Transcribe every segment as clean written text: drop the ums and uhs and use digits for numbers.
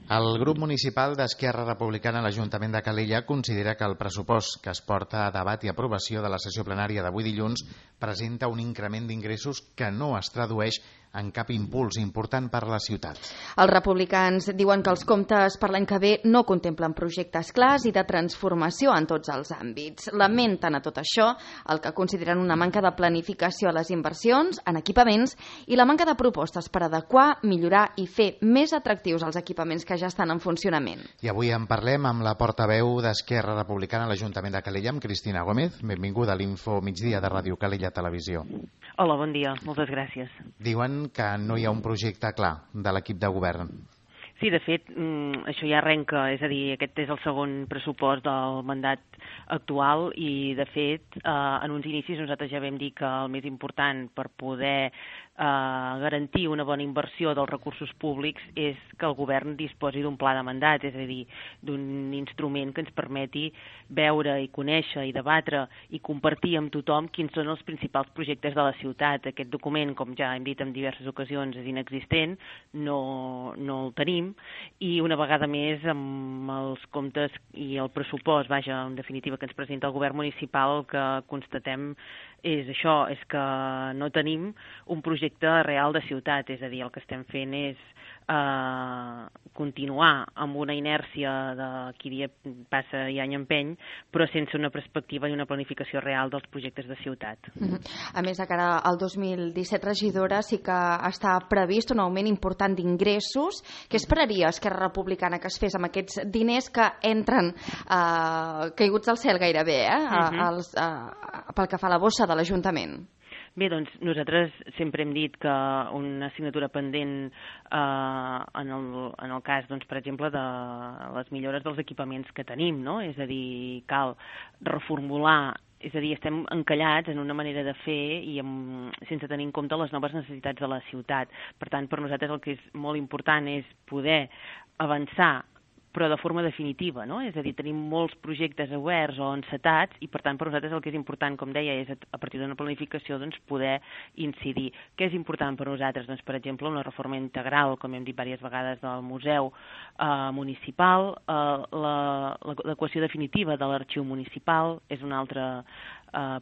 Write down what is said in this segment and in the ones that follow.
El grup municipal d'Esquerra Republicana a l'Ajuntament de Calella considera que el pressupost que es porta a debat i aprovació de la sessió plenària d'avui dilluns presenta un increment d'ingressos que no es tradueix en cap impuls important per a la ciutat. Els republicans diuen que els comptes per l'any que ve no contemplen projectes clars i de transformació en tots els àmbits. Lamenten a tot això el que consideren una manca de planificació a les inversions en equipaments i la manca de propostes per adequar, millorar i fer més atractius els equipaments que ja estan en funcionament. I avui en parlem amb la portaveu d'Esquerra Republicana a l'Ajuntament de Calella, amb Cristina Gómez. Benvinguda a l'Info Migdia de Ràdio Calella Televisió. Hola, bon dia. Moltes gràcies. Diuen que no hi ha un projecte clar de l'equip de govern. Sí, de fet, això ja arrenca, és a dir, aquest és el segon pressupost del mandat actual i, de fet, en uns inicis nosaltres ja vam dir que el més important per poder garantir una bona inversió dels recursos públics és que el govern disposi d'un pla de mandat, és a dir, d'un instrument que ens permeti veure i conèixer i debatre i compartir amb tothom quins són els principals projectes de la ciutat. Aquest document, com ja hem dit en diverses ocasions, és inexistent, no el tenim, i una vegada més amb els comptes i el pressupost, vaja, en definitiva, que ens presenta el govern municipal, el que constatem és això, és que no tenim un projecte real de ciutat, és a dir, el que estem fent és continuar amb una inèrcia de qui dia passa i any empeny, però sense una perspectiva i una planificació real dels projectes de ciutat. A més, de cara al 2017, regidora, sí que està previst un augment important d'ingressos. Què esperaria Esquerra Republicana que es fes amb aquests diners que entren caiguts del cel gairebé, pel que fa a la bossa de l'Ajuntament? Bé, doncs nosaltres sempre hem dit que una assignatura pendent en el cas, doncs, per exemple, de les millores dels equipaments que tenim, no? És a dir, cal reformular, és a dir, estem encallats en una manera de fer i sense tenir en compte les noves necessitats de la ciutat. Per tant, per nosaltres el que és molt important és poder avançar, però de forma definitiva, no? És a dir, tenim molts projectes oberts o encetats i, per tant, per nosaltres el que és important, com deia, és a partir d'una planificació doncs, poder incidir. Què és important per nosaltres? Doncs, per exemple, una reforma integral, com hem dit diverses vegades, del museu municipal, l'adequació definitiva de l'arxiu municipal és un altre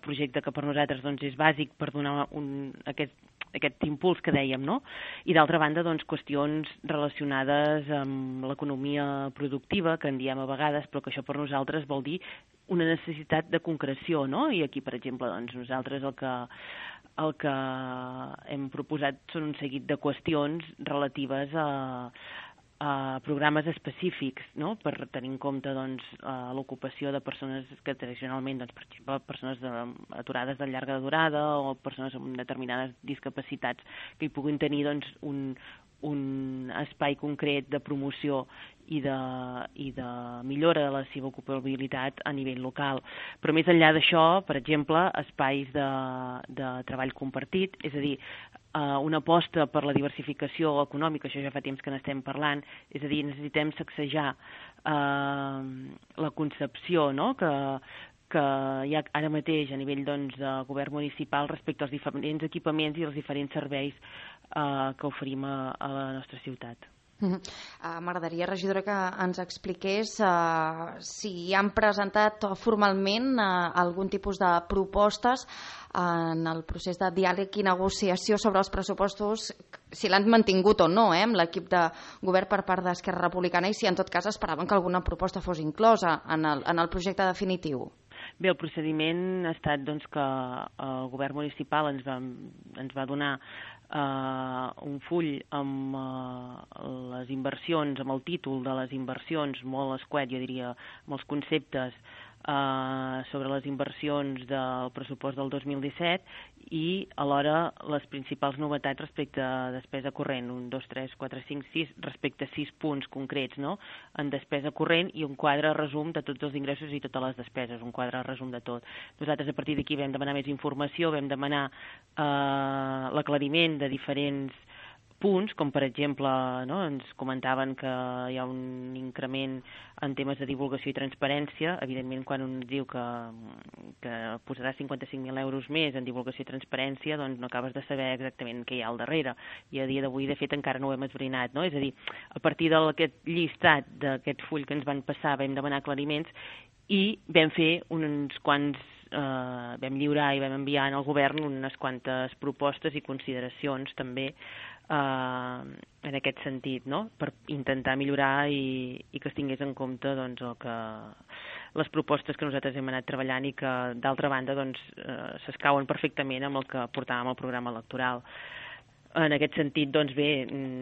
projecte que per nosaltres doncs, és bàsic per donar aquest impuls que dèiem, no? I d'altra banda, doncs, qüestions relacionades amb l'economia productiva, que en diem a vegades, però que això per nosaltres vol dir una necessitat de concreció, no? I aquí, per exemple, doncs, nosaltres el que hem proposat són un seguit de qüestions relatives a programes específics, no? Per tenir en compte doncs, l'ocupació de persones que tradicionalment, doncs, per exemple, persones aturades de llarga durada o persones amb determinades discapacitats que hi puguin tenir doncs, un espai concret de promoció i de millora de la seva ocupabilitat a nivell local. Però més enllà d'això, per exemple, espais de treball compartit, és a dir, una aposta per la diversificació econòmica, això ja fa temps que n'estem parlant, és a dir, necessitem sacsejar la concepció, no?, que hi ha ara mateix a nivell doncs, de govern municipal respecte als diferents equipaments i els diferents serveis que oferim a la nostra ciutat. M'agradaria, regidora, que ens expliqués si han presentat formalment algun tipus de propostes en el procés de diàleg i negociació sobre els pressupostos, si l'han mantingut o no amb l'equip de govern per part d'Esquerra Republicana i si en tot cas esperaven que alguna proposta fos inclosa en el projecte definitiu. Bé, el procediment ha estat doncs, que el govern municipal ens va donar un full amb les inversions, amb el títol de les inversions, molt escuet, jo diria, amb els conceptes sobre les inversions del pressupost del 2017 i alhora les principals novetats respecte a despesa corrent, 1, 2, 3, 4, 5, 6, respecte a 6 punts concrets, no?, en despesa corrent i un quadre resum de tots els ingressos i totes les despeses, un quadre resum de tot. Nosaltres a partir d'aquí vam demanar més informació, vam demanar l'aclariment de diferents punts, com per exemple, no, ens comentaven que hi ha un increment en temes de divulgació i transparència. Evidentment, quan un diu que posarà 55.000 euros més en divulgació i transparència, doncs no acabes de saber exactament què hi ha al darrere. I a dia d'avui, de fet, encara no ho hem esbrinat, no? És a dir, a partir d'aquest llistat, d'aquest full que ens van passar, vam demanar aclariments i vam fer uns quants, vam lliurar i vam enviar al govern unes quantes propostes i consideracions també en aquest sentit, no? Per intentar millorar i que es tingués en compte doncs, les propostes que nosaltres hem anat treballant i que, d'altra banda, doncs, s'escauen perfectament amb el que portàvem al programa electoral. En aquest sentit, doncs bé,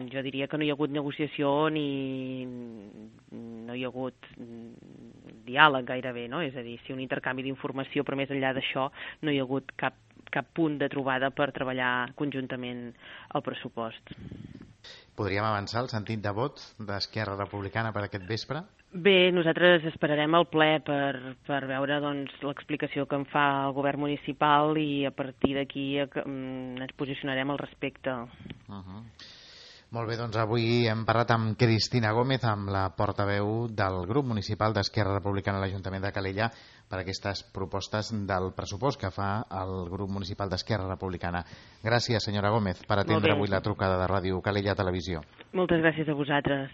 jo diria que no hi ha hagut negociació ni no hi ha hagut diàleg gairebé, no? És a dir, sí un intercanvi d'informació, però més enllà d'això no hi ha hagut cap punt de trobada per treballar conjuntament el pressupost. Podríem avançar el sentit de vot d'Esquerra Republicana per aquest vespre? Bé, nosaltres esperarem el ple per veure doncs, l'explicació que en fa el govern municipal i a partir d'aquí ens posicionarem al respecte. Molt bé, doncs avui hem parlat amb Cristina Gómez, amb la portaveu del grup municipal d'Esquerra Republicana a l'Ajuntament de Calella, per aquestes propostes del pressupost que fa el grup municipal d'Esquerra Republicana. Gràcies, senyora Gómez, per atendre avui la trucada de Ràdio Calella Televisió. Moltes gràcies a vosaltres.